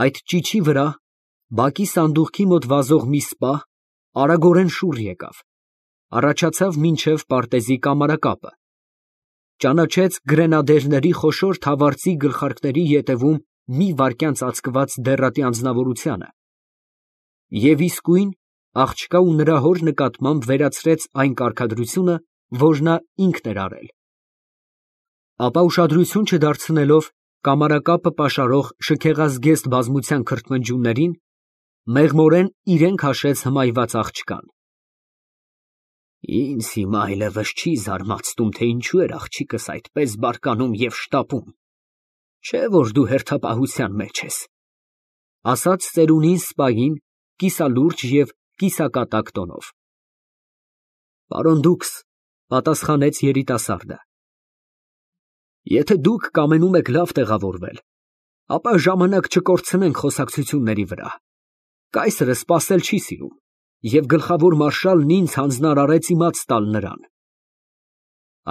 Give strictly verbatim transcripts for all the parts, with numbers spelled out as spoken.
Այդ ճիչի վրա, բակի սանդուղքի մոտ վազող մի սպա արագորեն շուռ եկավ, առաջացավ մինչև պարտեզի կամարակապը, ճանաչեց գրենադերների խոշոր թավարծի գլխարկների ետևում մի վայրկյան ծածկված դեռատի անձնավորությանը և իսկույն աղջկա ու նրա հոր նկատմամբ վերացրեց այն կարգադրությունը, որ նա ինքն էր արել, ապա ուշադրություն չդարձնելով կամարակապը պաշարող շքեղազգեստ բազմության քրթմնջյուններին, մեղմորեն իրեն քաշեց հմայված աղջկան։ Ինձ հիմա այլևս չի զարմացնում, թե ինչու էր աղջիկս այդպես բարկանում և շտապում, չէ՞ որ դու հերթապահության մեջ ես, ֊ ասաց ծերունին սպային կիսալուրջ և կիսակատակ տոնով։ ֊ Պարոն դուքս, ֊ պատասխանեց երիտասարդը, ֊ եթե դուք կամենում եք լավ տեղավորվել, ապա ժամանակ չկորցնենք խոսակցությունների վրա, կայսրը սպասել չի սիրում, և գլխավոր մարշալն ինձ հանձնարարեց իմաց տալ նրան։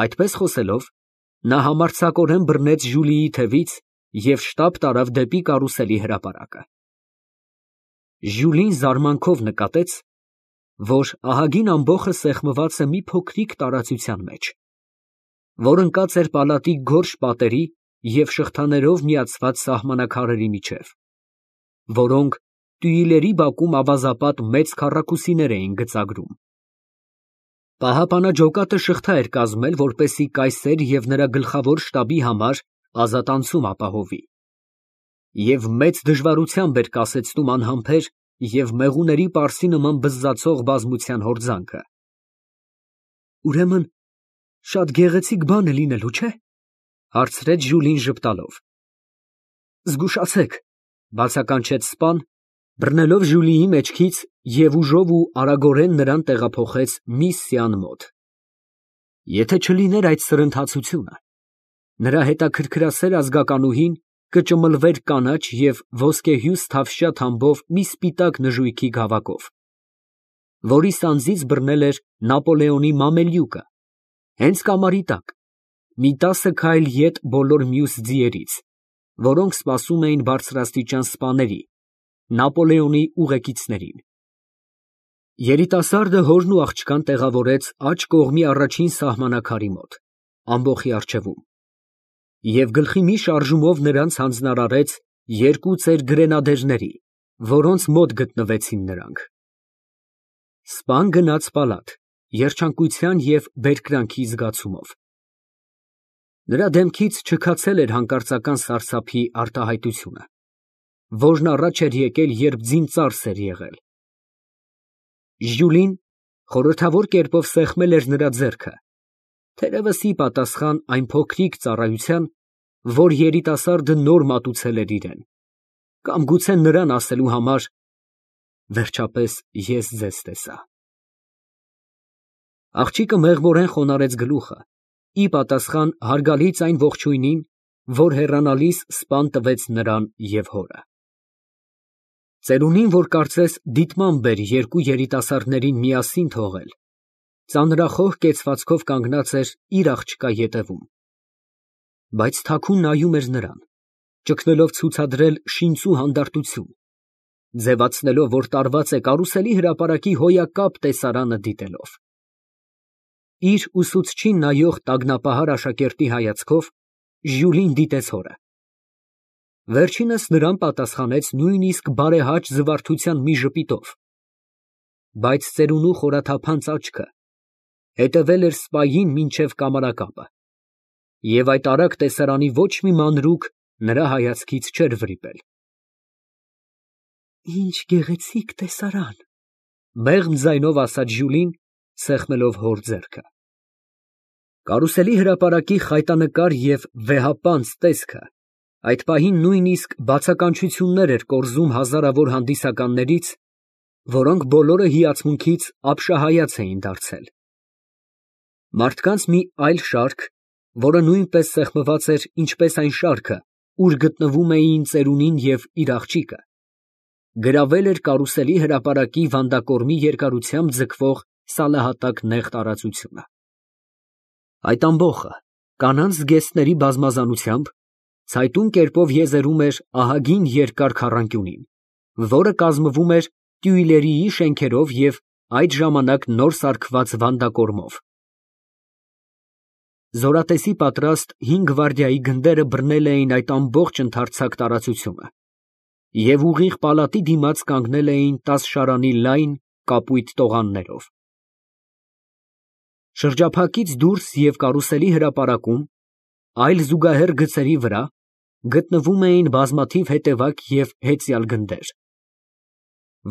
Այդպես խոսելով, նա համարձակորեն բռնեց Ժուլիի թևից և շտապ տարավ դեպի կարուսելի հրապարակը։ Ժյուլին զարմանքով նկատեց, որ ահագին ամբոխը սեղմված է մի փոքրիկ տարածության մեջ, որ ընկած էր պալատի գորշ պատերի և շղթաներով միացված սահմանակարերի միջև, որոնք տյուիլերի բակում ավազապատ մեծ քառակուսիներ էին գծագրում։ Պահապանաջոկատը շղթա էր կազմել, որպեսզի կայսեր և նրա գլխավոր շտաբի համար ազատ անցում ապահովի, և մեծ դժվարությամբ էր կասեցնում անհամբեր և մեղուների պարսի նման բզզացող բազմության հորձանքը։ ֊ Ուրեմն շատ գեղեցիկ բան է լինելու, չէ՞, ֊ հարցրեց Ժուլին ժպտալով։ ֊ Զգուշացեք, ֊ բացականչեց սպան, բռնելով Ժուլիի մեջքից և ուժով ու արագորեն նրան տեղափոխեց Միսսիան մոտ։ Եթե չլիներ այդ սրընթացությունը, նրա հետաքրքրասեր ազգականուհին կճմլվեր կանաչ և ոսկեհյուս թավշյա թամբով մի սպիտակ նժույգի գավակով, որի սանձից բռնել էր Նապոլեոնի մամելյուկը, հենց կամարի տակ, մի տասը քայլ ետ բոլոր մյուս ձիերից, որոնք սպասում էին բարձրաստիճան սպաների, Նապոլեոնի ուղեկիցներին։ Երիտասարդը հորն ու աղջկան տեղավորեց աջ կողմի առաջին սահմանակարի մոտ, ամբոխի առջևում, և գլխի մի շարժումով նրանց հանձնարարեց երկու ծեր գրենադերների, որոնց մոտ գտնվեցին նրանք։ Սպան գնաց պալատ, երջանկության և բերկրանքի զգացումով։ Նրա դեմքից չքացել էր հանկարծական սարսափի արտահայտությունը, որն առաջ էր եկել, երբ ձին ծարս էր եղել։ Ժյուլին խորհրդավոր կերպով սեղմել էր նրա ձեռքը, թերևս ի պատասխան այն փոքրիկ ծառայության, որ երիտասարդը նոր մատուցել էր իրան, կամ գուցե նրան ասելու համար. «Վերջապես ես ձեզ տեսա»։ Աղջիկը մեղմորեն խոնարհեց գլուխը, ի պատասխան հարգալից այն ողջույնին, որ հեռանալիս սպան տվեց նրան և հորը։ Ծերունին, որ կարծես դիտմամբ էր երկու երիտասարդներին միասին թողել, ծանրախոհ կեցվածքով կանգնած էր իր աղջկա ետևում, բայց թաքուն նայում էր նրան, ճգնելով ցուցադրել շինծու հանդարտություն, ձևացնելով, որ տարված է կարուսելի հրապարակի հոյակապ տեսարանը դիտելով։ Իր ուսուցչին նայող տագնապահար աշակերտի հայացքով Ժյուլին դիտեց հորը։ Վերջինս նրան պատասխանեց նույնիսկ բարեհաճ զվարթության մի ժպիտով, բայց ծերունու խորաթափանց աչքը հետևել էր սպային մինչև կամարակապը, և այդ արագ տեսարանի ոչ մի մանրուք նրա հայացքից չէր վրիպել։ «Ինչ գեղեցիկ տեսարան, ֊ մեղմ ձայնով ասաց Ժյուլին, սեղմելով հոր ձեռքը։ Կարուսելի հրապարակի խայտանկար և վեհապանծ տեսքը այդ պահին նույնիսկ բացականչություններ էր կորզում հազարավոր հանդիսականներից, որոնք բոլորը հիացմունքից ապշահայաց էին դարձել։ Մարդկանց մի այլ շարք, որը նույնպես սեղմված էր, ինչպես այն շարքը, ուր գտնվում էին ծերունին և իր աղջիկը, գրավել էր կարուսելի հրապարակի վանդակորմի երկարությամբ ձգվող սալահատակ նեղ տարածությունը։ Այդ ամբոխը կանանց զգեստների բազմազանությամբ Ցայտուն կերպով եզերում էր ահագին երկար քառանկյունին, որը կազմվում էր Տյուիլերիի շենքերով և այդ ժամանակ նոր սարքված վանդակորմով։ Զորատեսի պատրաստ հին գվարդիայի գնդերը բռնել էին այդ ամբողջ ընդարձակ տարածությունը և ուղիղ պալատի դիմաց կանգնել էին տասշարանի լայն, կապույտ տողաններով։ Շրջափակից դուրս և կարուսելի հրապարակում, այլ զուգահեռ գծերի վրա, գտնվում էին բազմաթիվ հետևակ և հեծյալ գնդեր,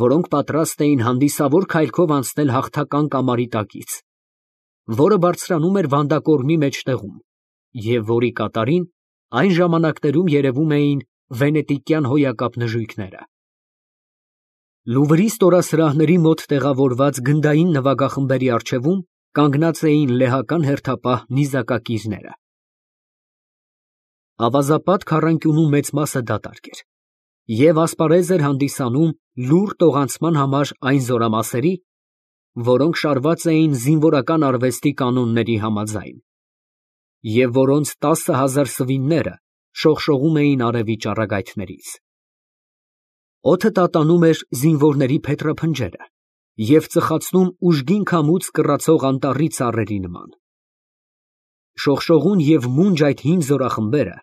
որոնք պատրաստ էին հանդիսավոր քայլքով անցնել հաղթական կամարի տակից, որը բարձրանում էր վանդակորմի մեջտեղում և որի կատարին այն ժամանակներում երևում էին վենետիկյան հոյակապ նժույգները։ Լուվրի ստորասրահների մոտ տեղավորված գնդային նվագախմբերի առջևում կանգնած էին լեհական հերթապահ նիզակակիրները։ Ավազապատ քառանկյունու մեծ մասը դատարկ էր և ասպարեզ էր հանդիսանում լուռ տողանցման համար այն զորամասերի, որոնք շարված էին զինվորական արվեստի կանոնների համաձայն, և որոնց տասը հազար սվինները շողշողում էին արևի ճառագայթներից։ Օդը տատանում էր զինվորների փետրափնջերը և ծխացնում ուժգին քամուց կռացող անտառի ծառերի նման։ Շողշողուն և մունջ այդ հին զորախմբերը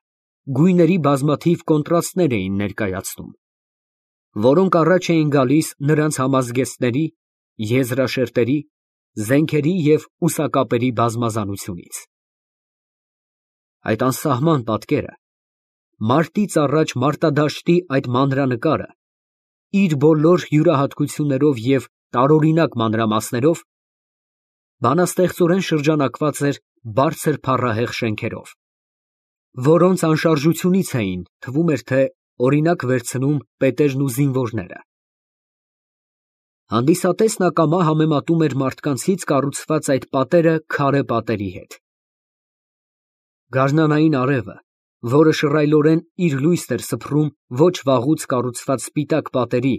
գույների բազմաթիվ կոնտրաստներ էին ներկայացնում, որոնք առաջ էին գալիս նրանց համազգեստների, եզրաշերտերի, զենքերի և ուսակապերի բազմազանությունից։ Այդ անսահման պատկերը, մարտից առաջ մարտադաշտի այդ մանրանկարը, իր բոլոր յուրահատկություններով և տարօրինակ մանրամասներով, բանաստեղծորեն շրջանակված էր բարձր փառահեղ շենքերով, որոնց անշարժությունից էին, թվում էր թե, օրինակ վերցնում պետերն ու զինվորները։ Հանդիսատեսն ակամա համեմատում էր մարդկանցից կառուցված այդ պատերը քարե պատերի հետ։ Գարնանային արևը, որը շռայլորեն իր լույսն էր սփռում ոչ վաղուց կառուցված սպիտակ պատերի,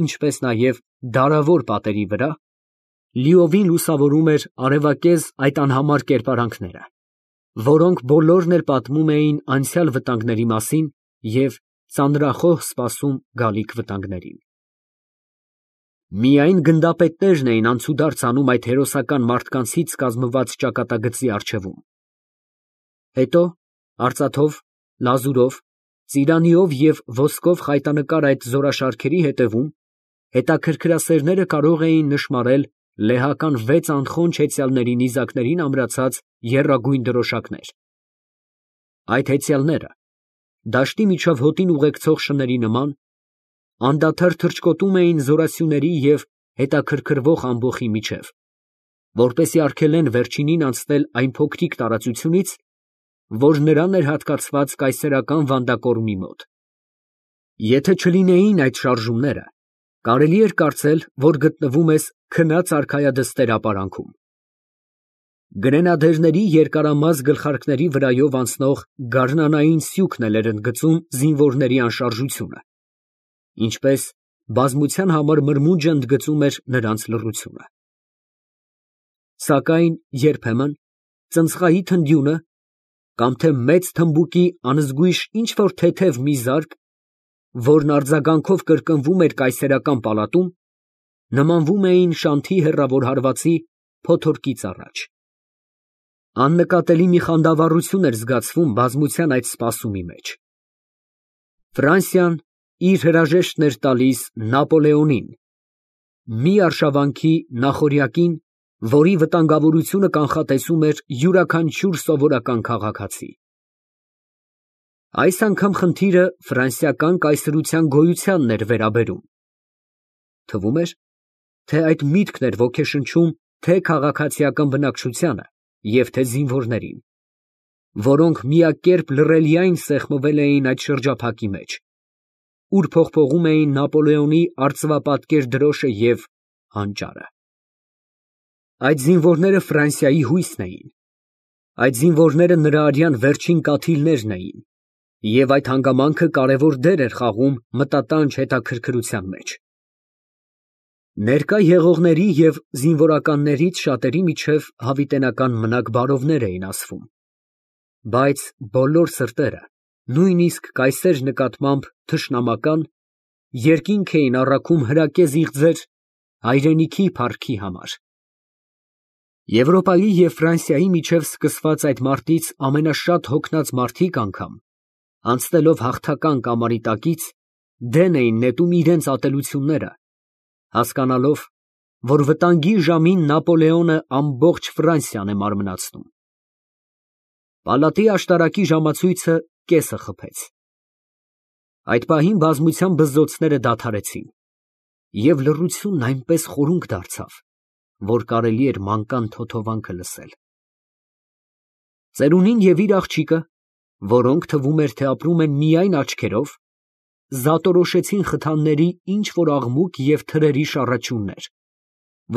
ինչպես նաև դարավոր պատերի վրա, լիովին լուսավորում էր արևակեզ այդ անհամար կերպարանքները, որոնք բոլորն էլ պատմում էին անցյալ վտանգների մասին և ծանրախոհ սպասում գալիք վտանգներին։ Միայն գնդապետներն էին անցուդարձ անում այդ հերոսական մարդկանցից կազմված ճակատագծի առջևում։ Հետո արծաթով, լազուրով, ծիրանիով և ոսկով խայտանկար այդ զորաշարքերի ետևում հետաքրքրասերները կարող էին նշմարել լեհական վեց անխոնջ հեծյալների նիզակներին ամրացած եռագույն դրոշակներ։ Այդ հեծյալները, դաշտի միջով հոտին ուղեկցող շների նման, անդադար թռչկոտում էին զորասյուների և հետաքրքրվող ամբոխի միջև, որպեսզի արգելեն վերջինին անցնել այն փոքրիկ տարածությունից, որ նրան էր հատկացված կայսերական վանդակորմի մոտ։ Եթե չլինեին այդ շարժումները, կարելի էր կարծել, որ գտնվում ես քնած արքայադստեր ապարանքում։ Գրենադերների երկարամաս գլխարկների վրայով անցնող գարնանային սյուքն էլ էր ընդգծում զինվորների անշարժությունը, ինչպես բազմության համար մրմունջը ընդգծում էր նրանց լռությունը։ Սակայն երբեմն ծնցղայի թնդյունը կամ թե մեծ թմբուկի անզգույշ ինչ֊որ թեթև մի զարկ, որն արձագանքով կրկնվում էր կայսերական պալատում, նմանվում էին շանթի հեռավոր հարվածի փոթորկից առաջ։ Աննկատելի մի խանդավառություն էր զգացվում բազմության այդ սպասումի մեջ։ Ֆրանսիան իր հրաժեշտն էր տալիս Նապոլեոնին, մի արշավանքի նախօրյակին, որի վտանգավորությունը կանխատեսում էր յուրաքանչյուր սովորական քաղաքացի։ Այս անգամ խնդիրը ֆրանսիական կայսրության գոյությանն էր վերաբերում։ Թվում էր, թե այդ միտքն էր ոգեշնչում թե քաղաքացիական բնակչությանը և թե զինվորներին, որոնք միակերպ լռելիայն սեղմվել էին այդ շրջափակի մեջ, ուր փողփողում էին Նապոլեոնի արծվապատկեր դրոշը և հանճարը։ Այդ զինվորները Ֆրանսիայի հույսն էին, այդ զինվորները նրա արյան վերջին կաթիլներն էին, և այդ հանգամանքը կարևոր դեր էր խաղում մտատանջ հետաքրքրության մեջ։ Ներկա եղողների և զինվորականներից շատերի միջև հավիտենական մնակ բարովներ էին ասվում, բայց բոլոր սրտերը նույնիսկ կայսեր նկատմամբ թշնամական, երկինք էին առաքում հրակեզ իղձեր հայրենիքի փառքի համար։ Եվրոպայի և Ֆրանսիայի միջև սկսված այդ մարտից ամենաշատ հոգնած մարդիկ անգամ, անցնելով հաղթական կամարի տակից, դեն էին նետում իրենց ատելությունները, հասկանալով, որ վտանգի ժամին Նապոլեոնը ամբողջ Ֆրանսիան է մարմնացնում։ Պալատի աշտարակի ժամացույցը կեսը խփեց։ Այդ պահին բազմության բզզոցները դադարեցին, և լռությունն այնպես խորունկ դարձավ, որ կարելի էր մանկան թոթովանքը լսել։ Ծերունին և իր աղջիկը, որոնք թվում էր, թե ապրում են միայն աչքերով, զատորոշեցին խթանների ինչ֊որ աղմուկ և թրերի շառաչյուններ,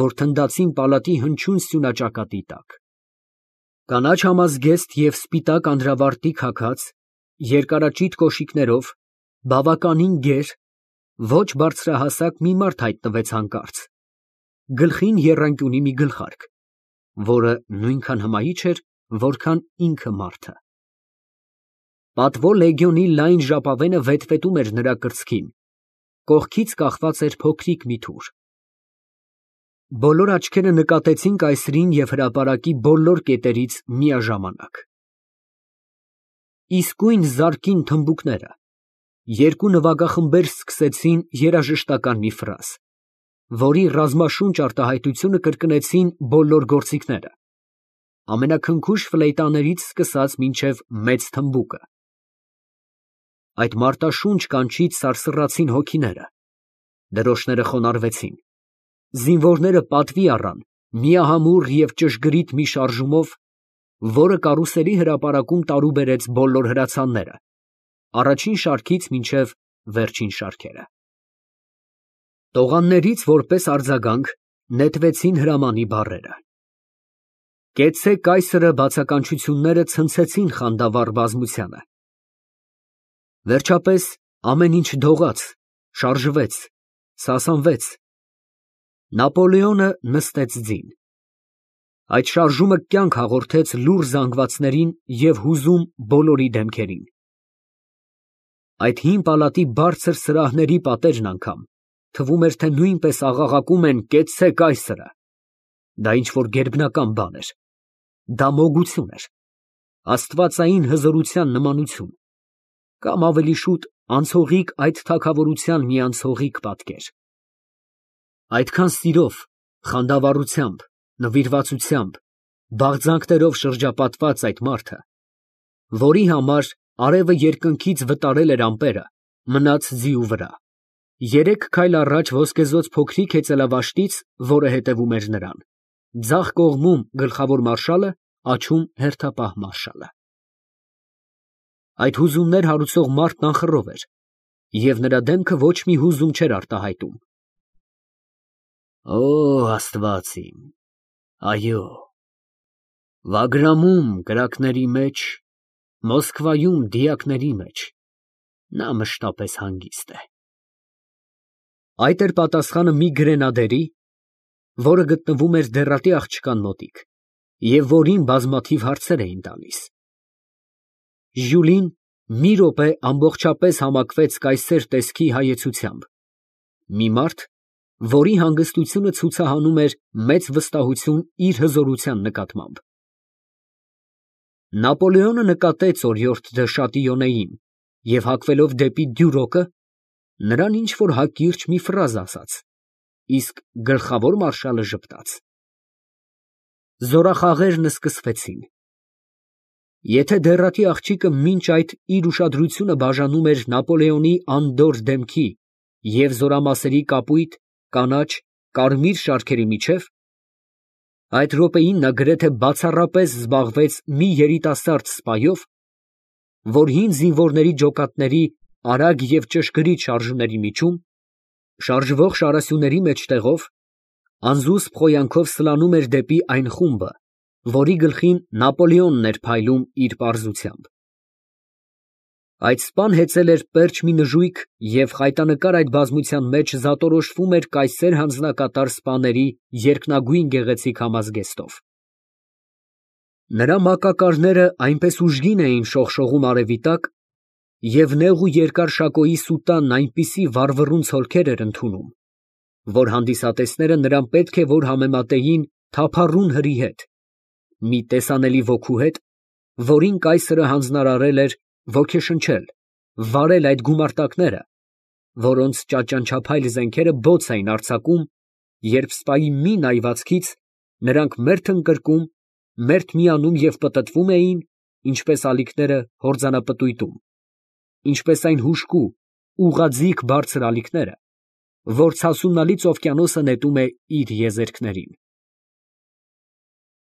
որ թնդացին պալատի հնչյուն սյունաճակատի տակ։ Կանաչ համազգեստ և սպիտակ անդրավարտիք հագած, երկարաճիտ կոշիկներով, բավականին գեր, ոչ բարձրահասակ մի մարդ հայտնվեց հանկարծ, գլխին եռանկյունի մի գլխարկ, որը նույնքան հմայիչ էր, որքան ինքը մարդը։ Պատվո լեգիոնի լայն ժապավենը վետվետում էր նրա կրծքին, կողքից կախված էր փոքրիկ մի թուր։ Բոլոր աչքերը նկատեցին կայսրին և հրապարակի բոլոր կետերից միաժամանակ։ Իսկույն զարկին թմբուկները, երկու նվագախմբեր սկսեցին երաժշտական մի ֆրազ, որի ռազմաշունչ արտահայտությունը կրկնեցին բոլոր գործիքները, ամենաքնքուշ ֆլեյտաներից սկսած մինչև մեծ թմբուկը։ Այդ մարտաշունչ կանչից սարսռացին հոգիները, դրոշները խոնարհվեցին, զինվորները պատվի առան միահամուռ և ճշգրիտ մի շարժումով, որը կարուսելի հրապարակում տարուբերեց բոլոր հրացանները, առաջին շարքից մինչև վերջին շարքերը։ Տողաններից որպես արձագանք նետվեցին հրամանի բառերը։ «Կեցցե կայսրը» բացականչությունները ցնցեցին խանդավառ բազմությանը։ Վերջապես ամեն ինչ դողաց, շարժվեց, սասանվեց։ Նապոլեոնը նստեց ձին։ Այդ շարժումը կյանք հաղորդեց լուռ զանգվածներին և հուզում բոլորի դեմքերին։ Այդ հին պալատի բարձր սրահների պատերն անգամ թվում էր, թե նույնպես աղաղակում են «Կեցցե կայսրը»։ Դա ինչ֊որ գերբնական բան էր, դա մոգություն էր, աստվածային հզորության նմանություն, կամ ավելի շուտ անցողիկ այդ թագավորության մի անցողիկ պատկեր։ Այդքան սիրով, խանդավառությամբ, նվիրվածությամբ, բաղձանքներով շրջապատված այդ մարդը, որի համար արևը երկնքից վտարել էր ամպերը, մնաց ձիու վրա, երեք քայլ առաջ ոսկեզօծ փոքրիկ հեծելավաշտից, որը հետևում էր նրան, ձախ կողմում գլխավոր մարշալը, աջում հերթապահ մարշալը։ Այդ հուզումներ հարուցող մարդն անխռով էր, և նրա դեմքը ոչ մի հուզում չէր արտահայտում։ Օ, Աստված իմ, այո, Վագրամում կրակների մեջ, Մոսկվայում դիակների մեջ նա մշտապես հանգիստ է։ Այդ էր պատասխանը մի գրենադերի, որը գտնվում էր դեռատի աղջկան մոտիկ, և որին բազմաթիվ հարցեր էին տալիս։ Ժյուլին մի րոպե ամբողջապես համակվեց կայսեր տեսքի հայեցությամբ, մի մարդ, որի հանգստությունը ցուցահանում էր մեծ վստահություն իր հզորության նկատմամբ։ Նապոլեոնը նկատեց օրիորդ դը Շատիյոնեին և հագվելով դեպի դյուրոկը, նրան ինչ֊որ հակիրճ մի ֆրազ ասաց, իսկ գլխավոր մարշալը ժպտաց։ Զորախաղերն սկսվեցին։ Եթե դեռատի աղջիկը մինչ այդ իր ուշադրությունը բաժանում էր Նապոլեոնի անդորր դեմքի և զորամասերի կապույտ, կանաչ, կարմիր շարքերի միջև, այդ րոպեին նա գրեթե բացառապես զբաղվեց մի երիտասարդ սպայով, որ հին զինվորների ջոկատների արագ և ճշգրիտ շարժումների միջում, շարժվող շարասյուների մեջտեղով, անզուսպ խոյանքով սլանում էր դեպի այն խումբը, որի գլխին Նապոլեոնն էր փայլում իր պարզությամբ։ Այդ սպան հեծել էր պերճ մի նժույգ և խայտանկար այդ բազմության մեջ զատորոշվում էր կայսեր հանձնակատար սպաների երկնագույն գեղեցիկ համազգեստով։ Նրա մակակարները այնպես ուժգին էին շողշողում արևի տակ, Եվ նեղ ու երկար շակոյի սուտանն այնպիսի վառվռուն ցոլքեր էր ընդունում, որ հանդիսատեսները նրան պետք է որ համեմատեին թափառուն հրի հետ, մի տեսանելի ոգու հետ, որին կայսրը հանձնարարել էր ոգեշնչել, վարել այդ գումարտակները, որոնց ճաճանչափայլ զենքերը բոց էին արձակում, երբ սպայի մի նայվածքից նրանք մերթ ընկրկում, մերթ միանում և պտտվում էին, ինչպես ալիքները հորձանապտույտում, ինչպես այն հուժկու, ուղղաձիգ բարձր ալիքները, որ ցասունալից օվկիանոսը նետում է իր եզերքներին։